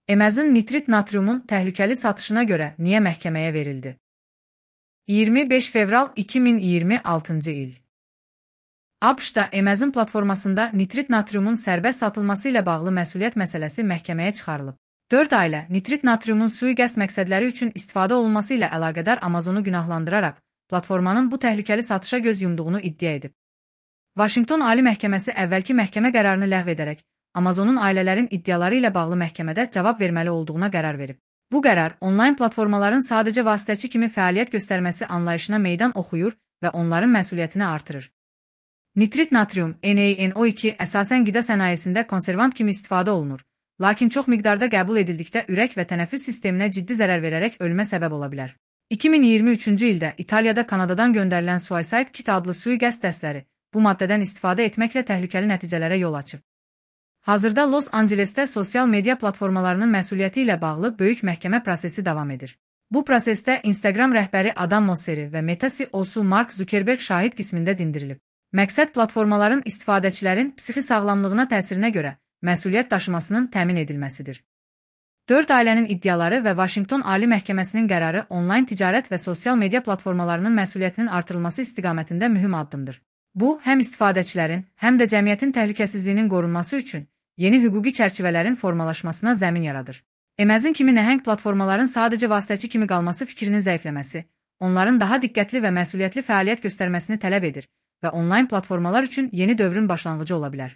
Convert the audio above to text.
Emezin nitrit natriumun təhlükəli satışına görə niyə məhkəməyə verildi? 25 fevral 2026-cı il. ABŞ-da Emezin platformasında nitrit natriumun sərbəst satılması ilə bağlı məsuliyyət məsələsi məhkəməyə çıxarılıb. 4 ailə nitrit natriumun sui-qəsd məqsədləri üçün istifadə olunması ilə əlaqədar Amazonu günahlandıraraq platformanın bu təhlükəli satışa göz yumduğunu iddia edib. Vaşinqton Ali Məhkəməsi əvvəlki məhkəmə qərarını ləğv edərək Amazonun ailələrin iddiaları ilə bağlı məhkəmədə cavab verməli olduğuna qərar verib. Bu qərar onlayn platformaların sadəcə vasitəçi kimi fəaliyyət göstərməsi anlayışına meydan oxuyur və onların məsuliyyətini artırır. Nitrit natrium, NaNO2 əsasən qida sənayesində konservant kimi istifadə olunur, lakin çox miqdarda qəbul edildikdə ürək və tənəffüs sisteminə ciddi zərər verərək ölümə səbəb ola bilər. 2023-cü ildə İtaliyada Kanadadan göndərilən Suicide Kit adlı sui-qəsd dəstləri bu maddədən istifadə etməklə təhlükəli nəticələrə yol açıb. Hazırda Los Ancelesdə sosial media platformalarının məsuliyyəti ilə bağlı böyük məhkəmə prosesi davam edir. Bu prosesdə Instagram rəhbəri Adam Mosseri və Meta CEO-su Mark Zuckerberg şahid qismində dindirilib. Məqsəd platformaların istifadəçilərin psixi sağlamlığına təsirinə görə məsuliyyət daşımasının təmin edilməsidir. 4 ailənin iddiaları və Vaşinqton Ali Məhkəməsinin qərarı onlayn ticarət və sosial media platformalarının məsuliyyətinin artırılması istiqamətində mühüm addımdır. Bu, həm istifadəçilərin, həm də cəmiyyətin təhlükəsizliyinin qorunması üçün yeni hüquqi çərçivələrin formalaşmasına zəmin yaradır. Emezin kimi nəhəng platformaların sadəcə vasitəçi kimi qalması fikrinin zəifləməsi, onların daha diqqətli və məsuliyyətli fəaliyyət göstərməsini tələb edir və onlayn platformalar üçün yeni dövrün başlanğıcı ola bilər.